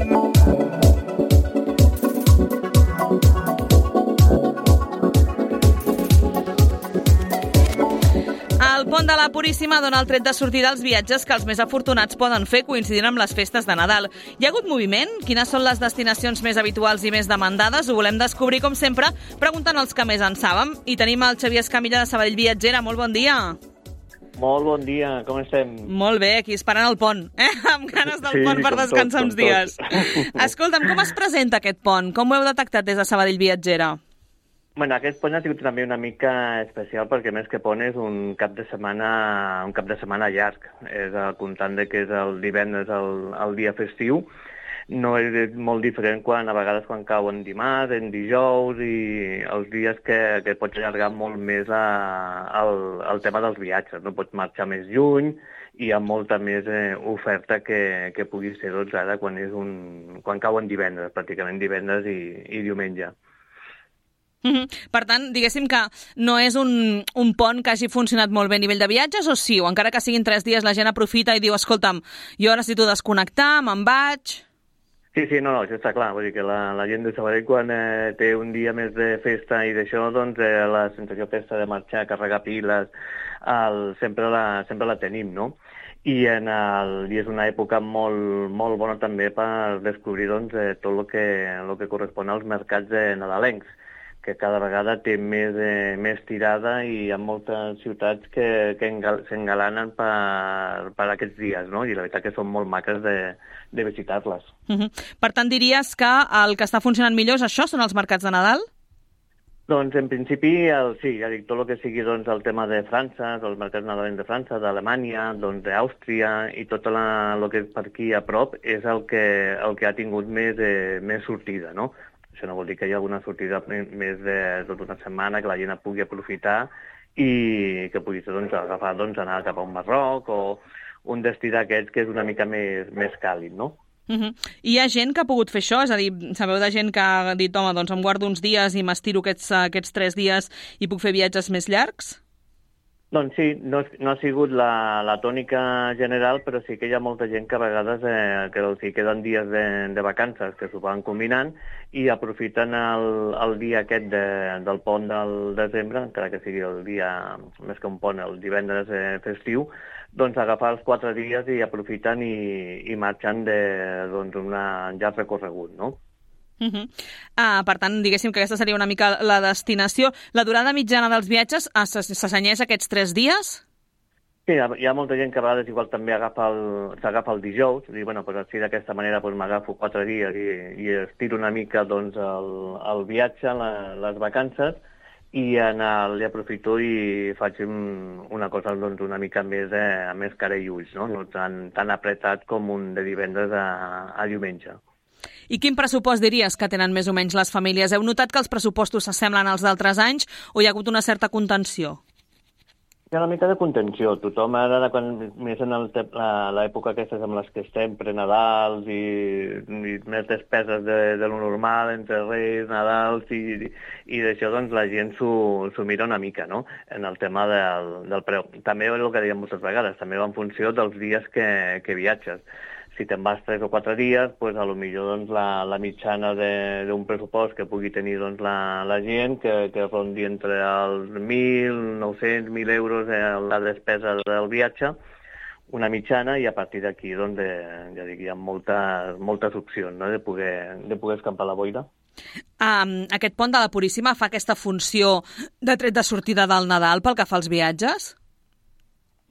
El pont de la Puríssima dona el tret de sortida als viatges que els més afortunats poden fer coincidint amb les festes de Nadal. Hi ha hagut moviment? Quines són les destinacions més habituals i més demandades? Ho volem descobrir, com sempre, preguntant als que més en sàvem. I tenim el Xavier Escamilla de Sabadell Viatgera. Molt bon dia. Molt bon dia, com estem? Molt bé, aquí esperant el pont, amb ganes del pont per descansar uns dies. Escolta'm, com es presenta aquest pont? Com ho heu detectat des de Sabadell Viatgera? Bueno, aquest pont ha sigut també una mica especial perquè més que pont és un cap de setmana llarg. És comptant que és el divendres el dia festiu. No és molt diferent a vegades quan cau en dimarts, en dijous i els dies que pots allargar molt més el tema dels viatges. No pots marxar més lluny i hi ha molta més oferta que pugui ser ara quan cau en divendres, pràcticament divendres i diumenge. Per tant, diguéssim que no és un pont que hagi funcionat molt bé a nivell de viatges, o sí? O encara que siguin 3 dies la gent aprofita i diu, escolta'm, jo necessito desconnectar, me'n vaig... Sí, no, això està clar. Vull dir que la gent de Sabadell, quan té un dia més de festa i d'això, doncs la sensació aquesta de marxar, carregar piles, sempre la tenim, no? I és una època molt bona també per descobrir tot el que correspon als mercats nadalencs, que cada vegada té més tirada i hi ha moltes ciutats que s'engalanen per aquests dies, no? I la veritat que són molt maques de visitar-les. Per tant, diries que el que està funcionant millor és això, són els mercats de Nadal? Doncs, en principi, sí, ja dic, tot el que sigui el tema de França, els mercats nadalencs de França, d'Alemanya, d'Àustria i tot el que és per aquí a prop és el que ha tingut més sortida, no? Això no vol dir que hi ha alguna sortida més de tota una setmana que la gent pugui aprofitar i que pugui ser agafar, anar cap a un Marroc o un destí d'aquests que és una mica més càlid, no? Hi ha gent que ha pogut fer això? És a dir, sabeu de gent que ha dit, home, doncs em guardo uns dies i m'estiro aquests 3 dies i puc fer viatges més llargs? Doncs sí, no ha sigut la tònica general, però sí que hi ha molta gent que a vegades que els hi queden dies de vacances que s'ho van combinant i aprofiten el dia aquest del pont del desembre, encara que sigui el dia, més que un pont, el divendres festiu, doncs agafar els 4 dies i aprofiten i marxen un llarg recorregut, no? Per tant, diguéssim que aquesta seria una mica la destinació. La durada mitjana dels viatges s'assenyeix aquests 3 dies? Sí, hi ha molta gent que a vegades igual també s'agafa el dijous, i bueno, pues així d'aquesta manera pues, m'agafo 4 dies i estiro una mica el viatge, les vacances, i li aprofito i faig una cosa una mica més cara i ulls, no tan apretat com un de divendres a diumenge. I quin pressupost diries que tenen més o menys les famílies? Heu notat que els pressupostos s'assemblen als d'altres anys o hi ha hagut una certa contenció? Hi ha una mica de contenció. Tothom ara, més en l'època aquestes amb les que estem, prenadals i més despeses de lo normal, entre Reis, Nadals i d'això, doncs la gent s'ho mira una mica, no?, en el tema del preu. També és el que dèiem moltes vegades, també va en funció dels dies que viatges. Si te'n vas 3 o 4 dies, doncs potser la mitjana d'un pressupost que pugui tenir la gent, que rondi entre els 1.900, 1.000 euros la despesa del viatge, una mitjana, i a partir d'aquí ja dic, hi ha moltes opcions, no?, de poder escampar la boira. Aquest pont de la Puríssima fa aquesta funció de tret de sortida del Nadal pel que fa als viatges?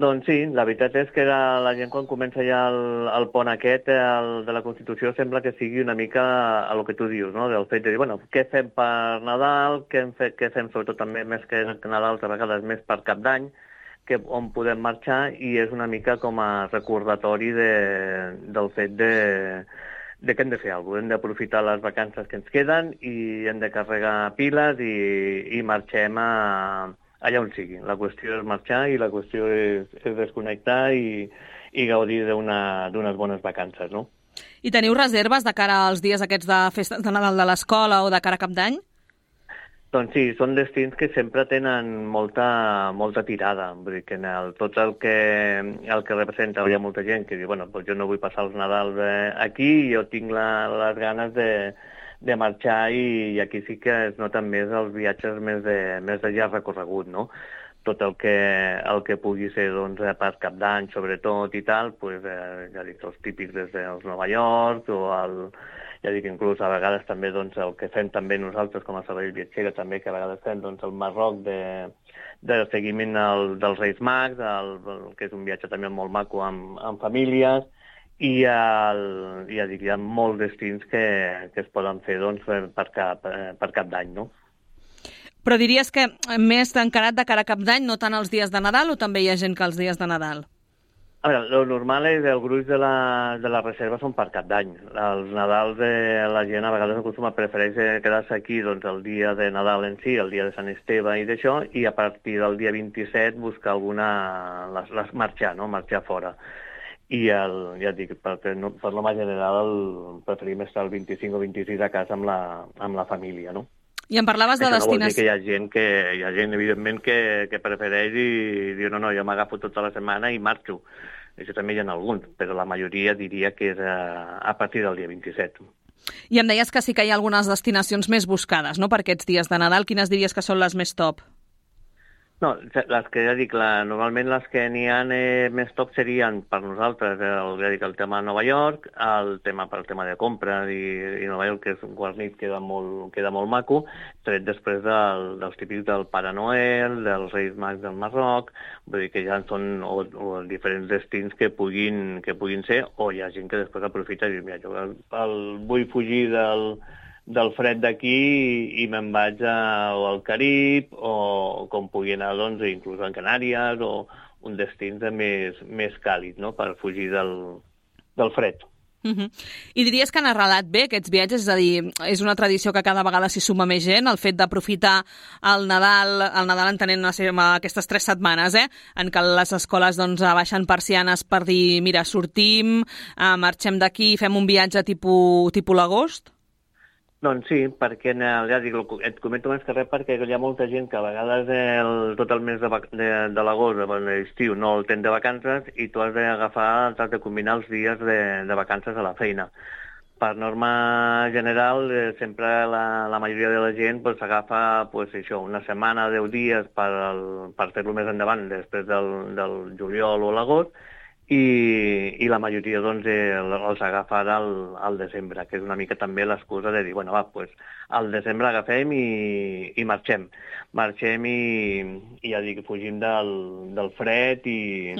Doncs sí, la veritat és que la gent quan comença ja el pont aquest de la Constitució sembla que sigui una mica el que tu dius, no?, del fet de dir, bueno, què fem per Nadal, què fem sobretot també més que Nadal, a vegades més per Cap d'Any, on podem marxar, i és una mica com a recordatori del fet de que hem de fer alguna cosa, hem d'aprofitar les vacances que ens queden i hem de carregar piles i marxem allà on sigui. La qüestió és marxar i la qüestió és desconnectar i gaudir d'unes bones vacances, no? I teniu reserves de cara als dies aquests de festes de Nadal de l'escola o de cara a Cap d'Any? Doncs sí, són destins que sempre tenen molta tirada. Vull dir que tot el que representa, hi ha molta gent que diu, bueno, doncs jo no vull passar els Nadals aquí, jo tinc les ganes de marxar i aquí sí que es noten més els viatges més de llarg recorregut, no? Tot el que pugui ser doncs, per Cap d'Any, sobretot, i tal, pues, ja dic, els típics des dels Nova York ja dic, inclús a vegades també doncs, el que fem també nosaltres com a Sabadell Viatgera, també que a vegades fem doncs, el Marroc de seguiment dels Reis Mags, que és un viatge també molt maco amb famílies, i ja dic, hi ha molts destins que es poden fer doncs, per Cap d'Any, no? Però diries que més encarat de cara a Cap d'Any, no tant els dies de Nadal, o també hi ha gent que els dies de Nadal? A veure, el normal és el gruix de la reserva són per Cap d'Any. Els Nadals la gent a vegades prefereix quedar-se aquí doncs, el dia de Nadal en si, el dia de Sant Esteve i d'això, i a partir del dia 27 buscar marxar, no? Marxar fora. I ja dic, per norma general preferim estar el 25 o 26 a casa amb la família, no? I em parlaves de destinació... Això no vol dir que hi ha gent evidentment, que prefereix i diu, no, jo m'agafo tota la setmana i marxo. Això també hi ha alguns, però la majoria diria que és a partir del dia 27. I em deies que sí que hi ha algunes destinacions més buscades, no?, per aquests dies de Nadal. Quines diries que són les més top? No, les que ja dic, normalment les que n'hi ha més top serien per nosaltres, ja dic, el tema de Nova York, el tema de compra i Nova York, que és un guarnit, queda molt maco, tret després dels típics del Pare Noel, dels Reis Mags del Marroc, vull dir que ja són o diferents destins que puguin ser, o hi ha gent que després aprofita i diu, mira, jo vull fugir del fred d'aquí i me'n vaig al Carib o com pugui anar, doncs, inclús a Canàries o un destí més càlid, no?, per fugir del fred. I diries que han arrelat bé aquests viatges? És a dir, és una tradició que cada vegada s'hi suma més gent, el fet d'aprofitar el Nadal entenent aquestes 3 setmanes, en què les escoles doncs, baixen persianes per dir, mira, sortim, marxem d'aquí i fem un viatge tipus l'agost? Doncs sí, perquè ja dic, et comento més que res perquè hi ha molta gent que a vegades tot el mes de l'agost, l'estiu, no el tens de vacances i tu has de combinar els dies de vacances a la feina. Per norma general, sempre la majoria de la gent s'agafa una setmana, 10 dies per fer-lo més endavant, després del juliol o l'agost, i la majoria doncs, els agafa ara al desembre, que és una mica també l'excusa de dir, bueno, al desembre agafem i marxem. Marxem i ja dic, fugim del fred i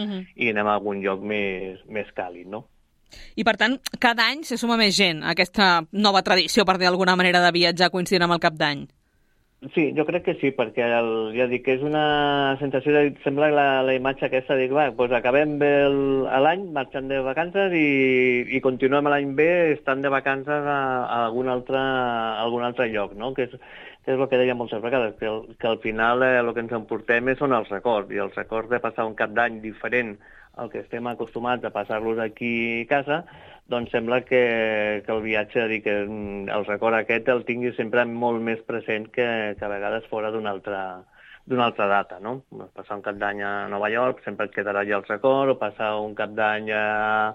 anem a algun lloc més càlid, no? I, per tant, cada any se suma més gent a aquesta nova tradició, per dir d'alguna manera, de viatjar coincidint amb el Cap d'Any. Sí, jo crec que sí, perquè ja dic que és una sensació sembla la imatge aquesta de dir, acabem bé l'any marxant de vacances i continuem l'any bé estant de vacances a algun altre lloc, no? Que és el que deia moltes vegades, que al final el que ens emportem són els records, i els records de passar un Cap d'Any diferent al que estem acostumats a passar-los aquí a casa, doncs sembla que el viatge, que el record aquest el tingui sempre molt més present que a vegades fora d'una altra data, no? Passar un Cap d'Any a Nova York sempre et quedarà allà el record, o passar un Cap d'Any a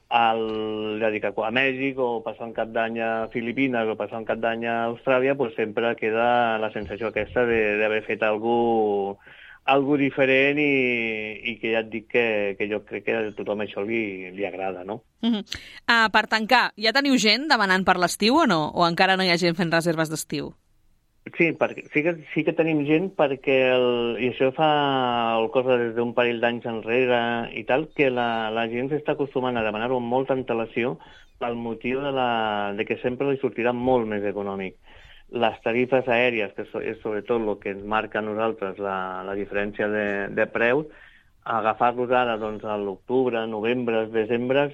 Mèxic, o passar un Cap d'any a Filipines, o passar un Cap d'any a Austràlia, sempre queda la sensació aquesta d'haver fet algo diferent i que ja et dic que jo crec que a tothom això li agrada, no? Per tancar, ja teniu gent demanant per l'estiu o no? O encara no hi ha gent fent reserves d'estiu? Sí, sí que tenim gent perquè, i això fa cosa des d'un parell d'anys enrere i tal, que la gent s'està acostumant a demanar-ho amb molta antelació pel motiu de que sempre li sortirà molt més econòmic. Les tarifes aèries, que és sobretot el que ens marca a nosaltres la diferència de preus, agafar-los ara a l'octubre, novembre, desembre,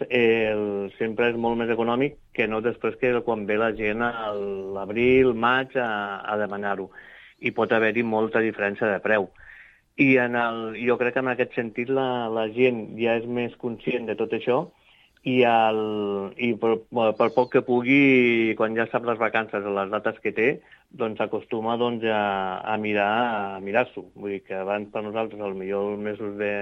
sempre és molt més econòmic que no després que quan ve la gent a l'abril, maig, a demanar-ho. I pot haver-hi molta diferència de preu. I jo crec que en aquest sentit la gent ja és més conscient de tot això i per poc que pugui, quan ja sap les vacances o les dates que té, doncs acostuma a mirar-s'ho. Vull dir que abans per nosaltres, potser els mesos de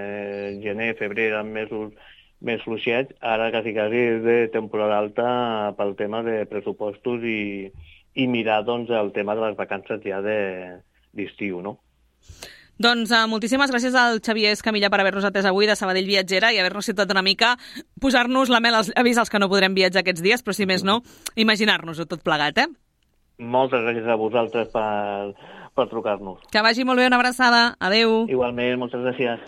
gener, febrer, eren mesos més fluixets, ara quasi és de temporada alta pel tema de pressupostos i mirar doncs, el tema de les vacances ja d'estiu, no? Doncs moltíssimes gràcies al Xavier Escamilla per haver-nos atès avui de Sabadell Viatgera i haver-nos citat una mica, posar-nos la mel als llavis als que no podrem viatjar aquests dies, però si més no, imaginar-nos-ho tot plegat, Moltes gràcies a vosaltres per trucar-nos. Que vagi molt bé, una abraçada. Adéu. Igualment, moltes gràcies.